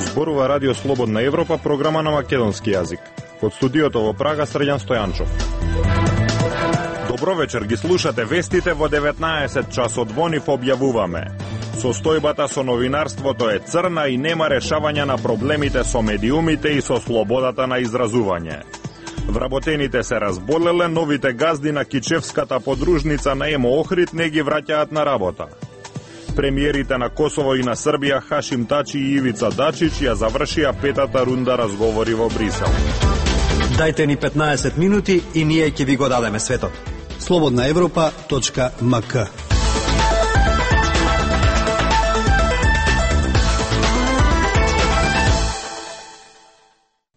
Зборува Радио Слободна Европа, програма на македонски јазик. Од студиото во Прага, Срđan Стојанчов. Добро вечер, ги слушате вестите во 19 часот. Во нив објавуваме: состојбата со новинарството е црна и нема решавање на проблемите со медиумите и со слободата на изразување. Вработените се разболеле, новите газди на кичевската подружница на ЕМО Охрид не ги враќаат на работа. Премиерите на Косово и на Србија Хашим Тачи и Ивица Дачич ја завршија петата рунда разговори во Брисел. Дајте ни 15 минути и ние ќе ви го дадеме светот. slobodnaevropa.mk.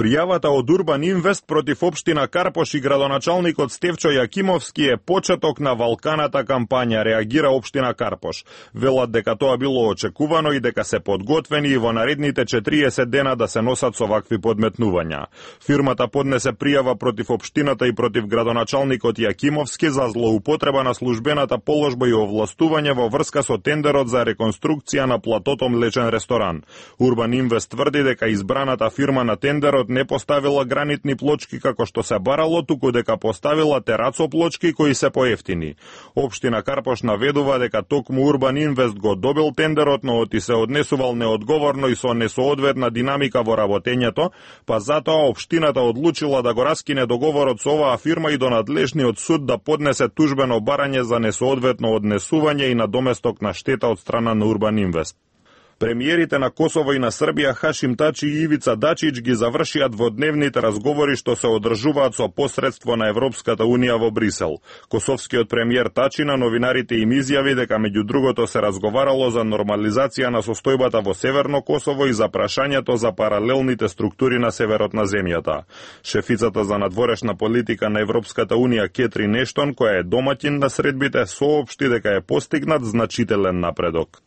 Пријавата од Урбан Инвест против општина Карпош и градоначалникот Стефчо Јакимовски е почеток на валканата кампања, реагира општина Карпош. Велат дека тоа било очекувано и дека се подготвени и во наредните 40 дена да се носат со вакви подметнувања. Фирмата поднесе пријава против општината и против градоначалникот Јакимовски за злоупотреба на службената положба и овластување во врска со тендерот за реконструкција на платото млечен ресторан. Урбан Инвест тврди дека избраната фирма на тендерот не поставила гранитни плочки како што се барало, туку дека поставила терацоплочки кои се поевтини. Општина Карпош наведува дека токму Урбан Инвест го добил тендерот, но оти се однесувал неодговорно и со несоодветна динамика во работењето, па затоа општината одлучила да го раскине договорот со оваа фирма и до надлежниот суд да поднесе тужбено барање за несоодветно однесување и надоместок на штета од страна на Урбан Инвест. Премиерите на Косово и на Србија Хашим Тачи и Ивица Дачич ги завршија дводневните разговори што се одржуваат со посредство на Европската Унија во Брисел. Косовскиот премиер Тачи на новинарите им изјави дека меѓу другото се разговарало за нормализација на состојбата во Северно Косово и за прашањето за паралелните структури на северот на земјата. Шефицата за надворешна политика на Европската Унија Кетрин Ештон, која е домаќин на средбите, соопшти дека е постигнат значителен напредок.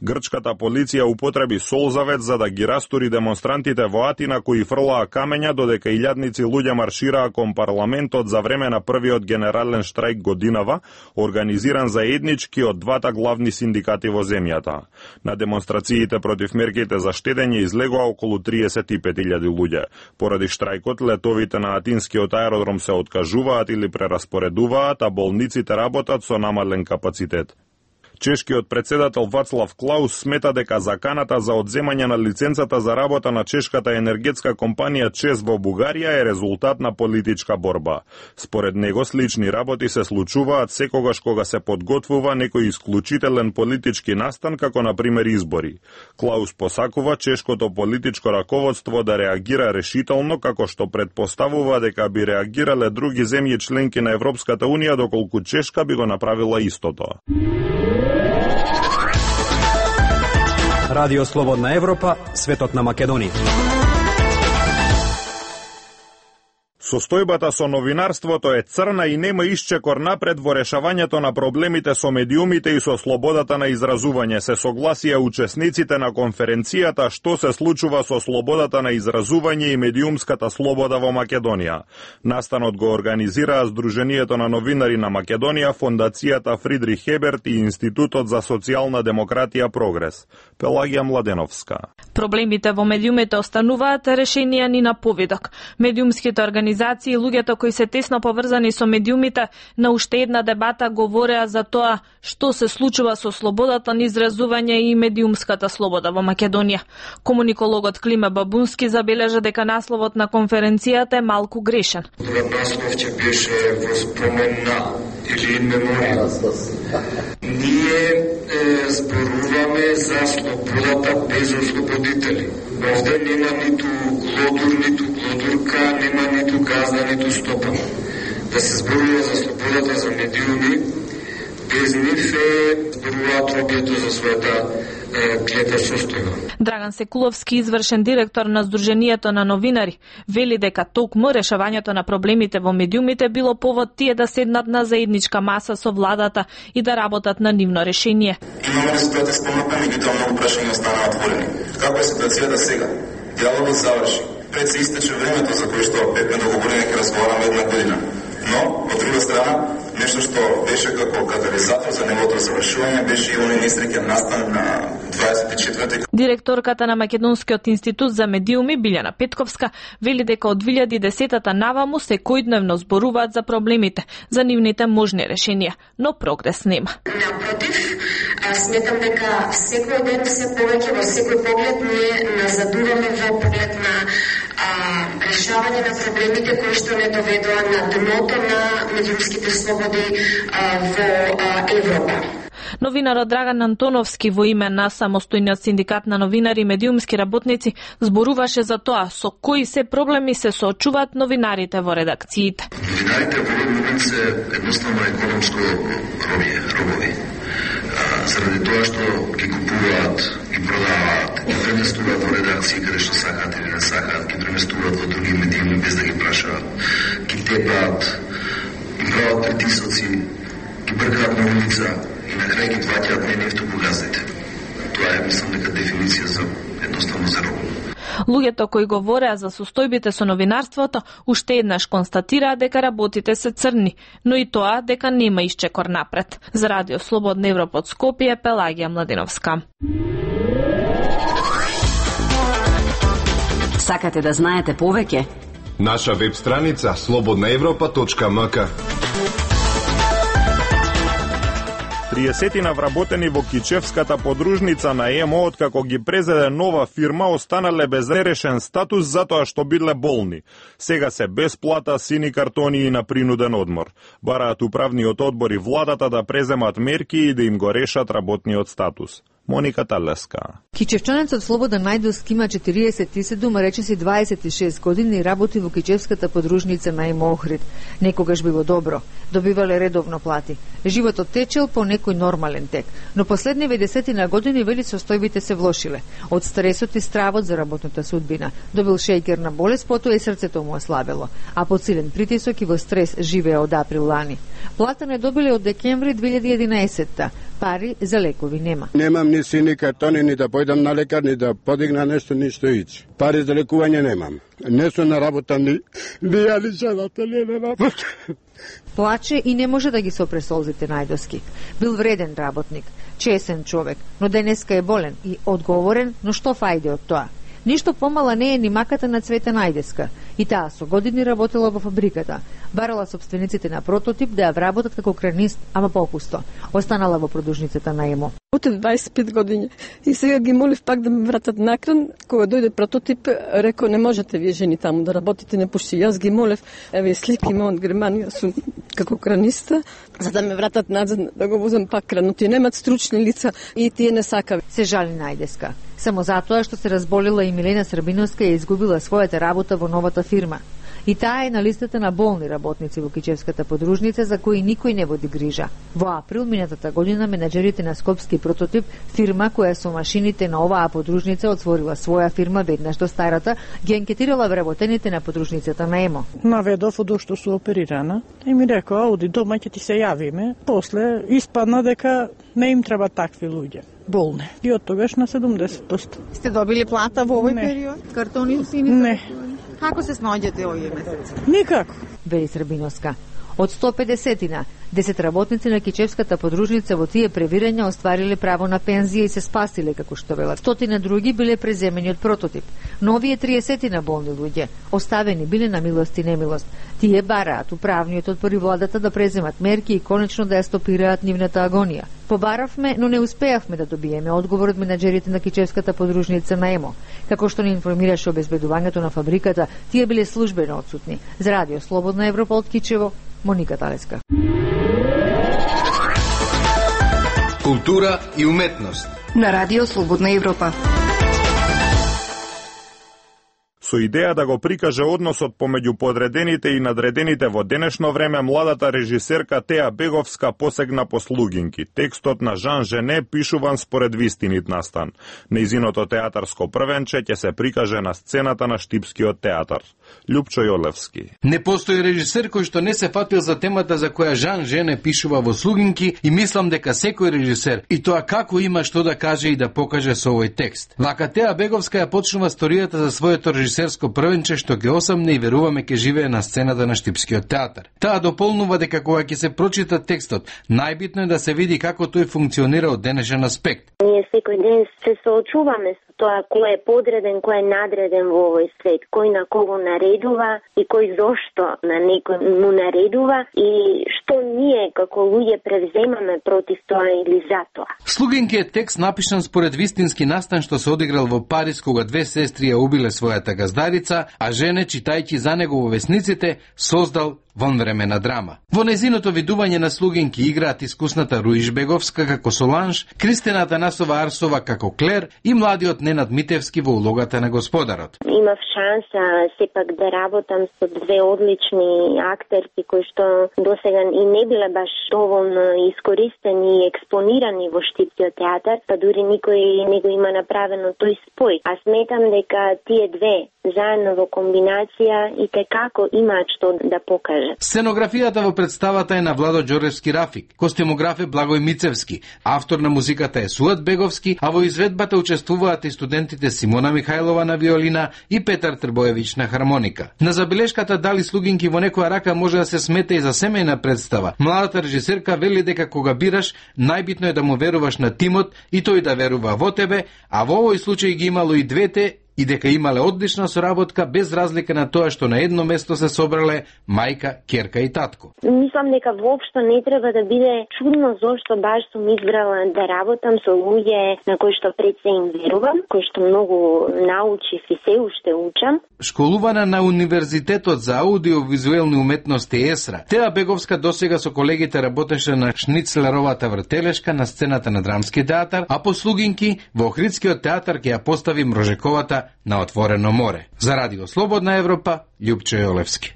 Грчката полиција употреби солзавет за да ги растури демонстрантите во Атина кои фрлаа камења додека илјадници луѓе маршираа кон парламентот за време на првиот генерален штрајк годинава, организиран заеднички од двата главни синдикати во земјата. На демонстрациите против мерките за штедење излегоа околу 35.000 луѓе. Поради штрајкот, летовите на атинскиот аеродром се откажуваат или прераспоредуваат, а болниците работат со намален капацитет. Чешкиот председател Вацлав Клаус смета дека заканата за одземање на лиценцата за работа на чешката енергетска компанија ЧЕЗ во Бугарија е резултат на политичка борба. Според него слични работи се случуваат секогаш кога се подготвува некој исклучителен политички настан, како на пример избори. Клаус посакува чешкото политичко раководство да реагира решително, како што предпоставува дека би реагирале други земји членки на Европската Унија доколку Чешка би го направила истото. Радио Слободна Европа, светот на Македонија. Состојбата со новинарството е црна и нема исчекор напред во решавањето на проблемите со медиумите и со слободата на изразување, се согласија учесниците на конференцијата што се случува со слободата на изразување и медиумската слобода во Македонија. Настанот го организираа Сдруженијето на новинари на Македонија, Фондацијата Фридрих Еберт и Институтот за социјална демократија Прогрес. Пелагија Младеновска. Проблемите во медиумите остануваат решенија ни на поведок. Медиумските организации и луѓето кои се тесно поврзани со медиумите на уште една дебата говореа за тоа што се случува со слободата на изразување и медиумската слобода во Македонија. Комуникологот Климе Бабунски забележа дека насловот на конференцијата е малку грешен. Наслов ќе беше во спомен на или in memoriam. Ние зборуваме за слободата без ослободители. Овде нема ниту глодур, ниту глодурка, нема ниту газда, ниту стопан. Да се зборува за слободата за медиуми, без нив зборуваат робието за својата клета состојба. Драган Секуловски, извршен директор на Сдруженијето на новинари, вели дека токму решавањето на проблемите во медиумите било повод тие да седнат на заедничка маса со владата и да работат на нивно решение. Имаме ли ситуација спомната, меѓутоа многу прашања останаа отворени. Како е ситуацијата сега? Диалогот заврши. Пред се истече времето за кое што бевме договорени ќе разговараме една година. Но, од друга страна, нешто што беше како катализатор за неговото завршување беше и оној несреќен настан на 24. Директорката на Македонскиот институт за медиуми Билјана Петковска вели дека од 2010-та наваму секојдневно зборуваат за проблемите, за нивните можни решенија, но прогрес нема. Напротив, сметам дека секој ден се повеќе во секој поглед ние назадуваме во поглед на решавање на проблемите кои што не доведоа на дното на медиумските слободи во Европа. Новинарот Драган Антоновски во име на самостојниот синдикат на новинари и медиумски работници зборуваше за тоа со кои се проблеми се соочуваат новинарите во редакциите. Новинарите во овој момент се едноставно економско робови. Заради тоа што ги купуваат, ги продаваат, ги преместуваат во редакции каде што сакаат или не сакаат, ги преместуваат во други медиуми без да ги прашаат, ги тепаат, ги прават притисоци, ги бркаат на улица и на крај ги плаќаат не нефту по газите. Тоа е, мислам, дека дефиниција за едноставно за робови. Луѓето кои говореа за состојбите со новинарството уште еднаш констатираа дека работите се црни, но и тоа дека нема исчекор напред. За Радио Слободна Европа од Скопје, Пелагија Младиновска. Сакате да знаете повеќе? Наша веб страница slobodnaevropa.mk. 30 вработени во Кичевската подружница на ЕМО откако ги презеде нова фирма останале без решен статус затоа што биле болни. Сега се без плата, сини картони и на принуден одмор. Бараат управниот одбор и владата да преземат мерки и да им го решат работниот статус. Моника Талеска. Кичевчанецот Слободан Најдовски има 47, а речиси 26 години и работи во Кичевската подружница на ЕМО Охрид. Некогаш било добро, добивале редовно плати. Животот течел по некој нормален тек, но последниве десетина години вели состојбите се влошиле. Од стресот и стравот за работната судбина. Добил шејкерна болест, потоа и срцето му ослабело, а под силен притисок и во стрес живее од април лани. Плата не добиле од декември 2011-та. Пари за лекови нема. Немам ни сини картони, ни да појдам на лекар, ни да подигна нешто, ништо ич. Пари за лекување немам. Не сум на работа, ни ја жената не на работа. Плаче и не може да ги сопре солзите Најдовски. Бил вреден работник, чесен човек, но денеска е болен и одговорен, но што фајде од тоа? Ништо помала не е ни маката на Цвета Најдеска. И таа со години работела во фабриката. Барала собствениците на прототип да ја вработат како кранист, ама попусто. Останала во продужницата на ЕМО. Отед 25 години и сега ги молив пак да ме вратат накран. Кога дојде прототип, реко не можете вие жени таму да работите, не пушти. Јас ги молев, еве слики ме од Германија сум како краниста, за да ме вратат назад да го возам пак кран. Но тие немат стручни лица и тие не сакаат. Се жали Најдеска. Само затоа што се разболела и Милена Србиновска и изгубила својата работа во новата фирма. И таа е на листата на болни работници во Кичевската подружница за кои никој не води грижа. Во април минатата година менаџерите на Скопски прототип, фирма која со машините на оваа подружница отворила своја фирма веднаш до старата, ги анкетирала вработените на подружницата на ЕМО. Наведов од што су оперирана и ми рекоа, оди дома ќе ти се јавиме. После испадна дека не им треба такви луѓе. Болни. И од тогаш на 70%. Сте добили плата во овој период? Картони сини? Не. Како се снаоѓате овој месец? Никако. Вели Србиновска. Од 150-тина, 10 работници на Кичевската подружница во тие превирања оствариле право на пензија и се спасиле, како што велат. 100 други биле преземени од прототип. Но овие 30 болни луѓе оставени биле на милост и немилост. Тие бараат управниот одбор и владата да преземат мерки и конечно да ја стопираат нивната агонија. Побаравме, но не успеавме да добиеме одговор од менаџерите на Кичевската подружница на ЕМО. Како што ни информираше обезбедувањето на фабриката, тие биле службено отсутни. За Радио Слободна Европа од Кичево, Моника Талеска. Култура и уметност на Радио Слободна Европа. Со идеја да го прикаже односот помеѓу подредените и надредените во денешно време, младата режисерка Теа Беговска посегна по слугинки. Текстот на Жан Жене пишуван според вистинит настан. Нејзиното театарско првенче ќе се прикаже на сцената на Штипскиот театар. Љупчо Јолевски. Не постои режисер кој што не се фатил за темата за која Жан Жене пишува во слугинки и мислам дека секој режисер и тоа како има што да каже и да покаже со овој текст. Вака Теа Беговска ја почнува сторијата за своето режисерско режисерско првенче што ќе осамне и веруваме ќе живее на сцената на Штипскиот театар. Таа дополнува дека кога ќе се прочита текстот, најбитно е да се види како тој функционира од денешен аспект. Ние секој ден се соочуваме со тоа кој е подреден, кој е надреден во овој свет, кој на кого наредува и кој зошто на некој му наредува и што ние како луѓе превземаме против тоа или за тоа. Слугинки е текст напишан според вистински настан што се одиграл во Париз кога две сестри ја убиле својата газдарица, а жене, читајќи за него во весниците, создал вонвремена драма. Во незиното видување на Слугинки играат искусната Руиш Беговска како Соланж, Кристина Атанасова Арсова како Клер и младиот Ненад Митевски во улогата на господарот. Имав шанса сепак да работам со две одлични актерки кои што досега и не биле баш доволно искористени и експонирани во Штипскиот театар, па дури никој не го има направено тој спој. А сметам дека тие две заедно во комбинација и како имаат што да покажат. Сценографијата во представата е на Владо Ѓоревски Рафик, костюмограф е Благој Мицевски, автор на музиката е Суат Беговски, а во изведбата учествуваат и студентите Симона Михајлова на виолина и Петар Трбоевич на хармоника. На забелешката дали Слугинки во некоја рака може да се смета и за семејна представа. Младата режисерка вели дека кога бираш, најбитно е да му веруваш на тимот и тој да верува во тебе, а во овој случај ги имало и двете и дека имале одлична соработка без разлика на тоа што на едно место се собрале мајка, ќерка и татко. Мислам дека воопшто не треба да биде чудно зошто баш сум избрала да работам со луѓе на кои што пред се им верувам, кои што многу научив и се уште учам. Школувана на Универзитетот за аудиовизуелни уметности ЕСРА, Теа Беговска досега со колегите работеше на Шницлеровата вртелешка на сцената на Драмски театар, а по Слугинки во Охридскиот театар ќе ја постави Мрожековата на Отворено море. За Радио Слободна Европа, Љупчо Јолевски.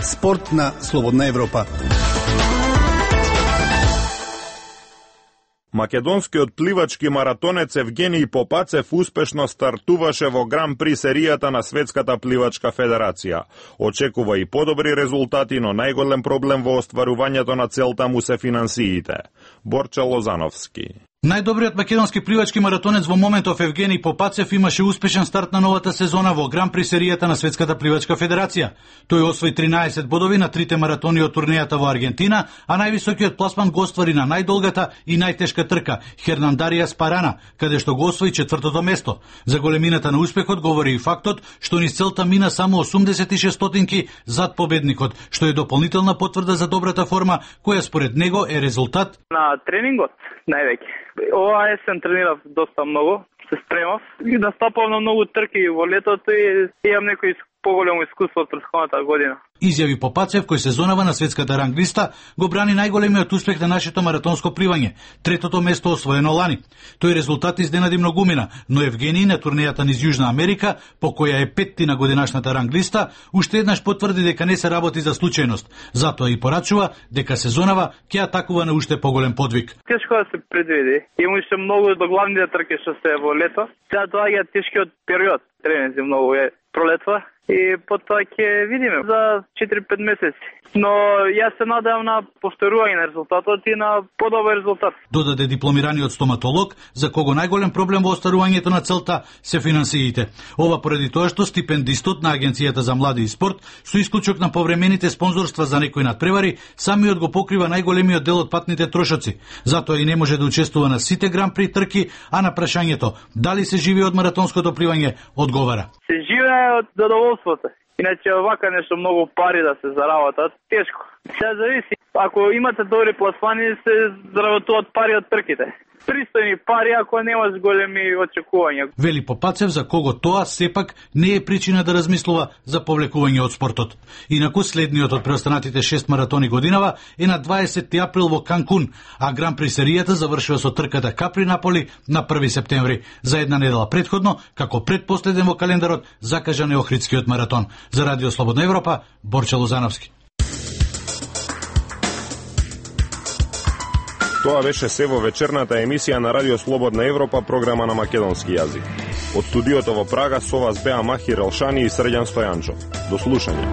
Спорт на Слободна Европа. Македонскиот пливачки маратонец Евгениј Попацев успешно стартуваше во Гран При серијата на Светската пливачка федерација. Очекува и подобри резултати, но најголем проблем во остварувањето на целта му се финансиите. Борче Лозановски. Најдобриот македонски пливачки маратонец во моментов Евгениј Попацев имаше успешен старт на новата сезона во Гран При серијата на Светската пливачка федерација. Тој освои 13 бодови на трите маратони од турнејата во Аргентина, а највисокиот пласман го оствари на најдолгата и најтешка трка Хернандарија Спарана, каде што го освои 4-то место. За големината на успехот говори и фактот што низ целта мина само 86 стотинки зад победникот, што е дополнителна потврда за добрата форма која според него е резултат на тренингот највеќе. Ова есен тренирав доста многу, се спремав и настапав на многу трки во летото и имам некој поголемо искуство од претходната година. Изјави Попацев, кој сезонава на светската ранглиста, го брани најголемиот успех на нашето маратонско пливање, третото место освоено лани. Тој резултат изненади многумина, но Евгениј на турнејата низ Јужна Америка, по која е петти на годинашната ранглиста, уште еднаш потврди дека не се работи за случајност. Затоа и порачува дека сезонава ќе атакува на уште поголем подвиг. Тешко да се предвиди. Има уште многу до главните трки што се во лето. Сега доаѓа тешкиот период. Тренинзи многу е пролетва. И потоа ќе видиме за 4-5 месеци. Но јас се надевам на повторување на резултатот и на подобар резултат. Додаде дипломираниот стоматолог, за кого најголем проблем во остварувањето на целта се финансиите. Ова поради тоа што стипендистот на Агенцијата за млади и спорт, со исклучок на повремените спонзорства за некои надпревари, самиот го покрива најголемиот дел од патните трошоци. Затоа и не може да учествува на сите Гран При трки, а на прашањето дали се живее од маратонското пливање, одговара. Се живее од задоволството. Иначе вака нешто многу пари да се заработат, тешко. Сега зависи. Ако имате добри пласмани, се заработуваат пари од трките. Пристојни пари ако немаш големи очекувања. Вели Попацев, за кого тоа сепак не е причина да размислува за повлекување од спортот. Инаку следниот од преостанатите 6 маратони годинава е на 20 април во Канкун, а Гран При серијата завршува со трката Капри Наполи на 1 септември. За една недела претходно, како предпоследен во календарот, закажан е Охридскиот маратон. За Радио Слободна Европа, Борче Лозановски. Тоа беше се во вечерната емисија на Радио Слободна Европа, програма на македонски јазик. Од студиото во Прага со вас беа Махир Елшани и Срđan Стојанчов. До слушање.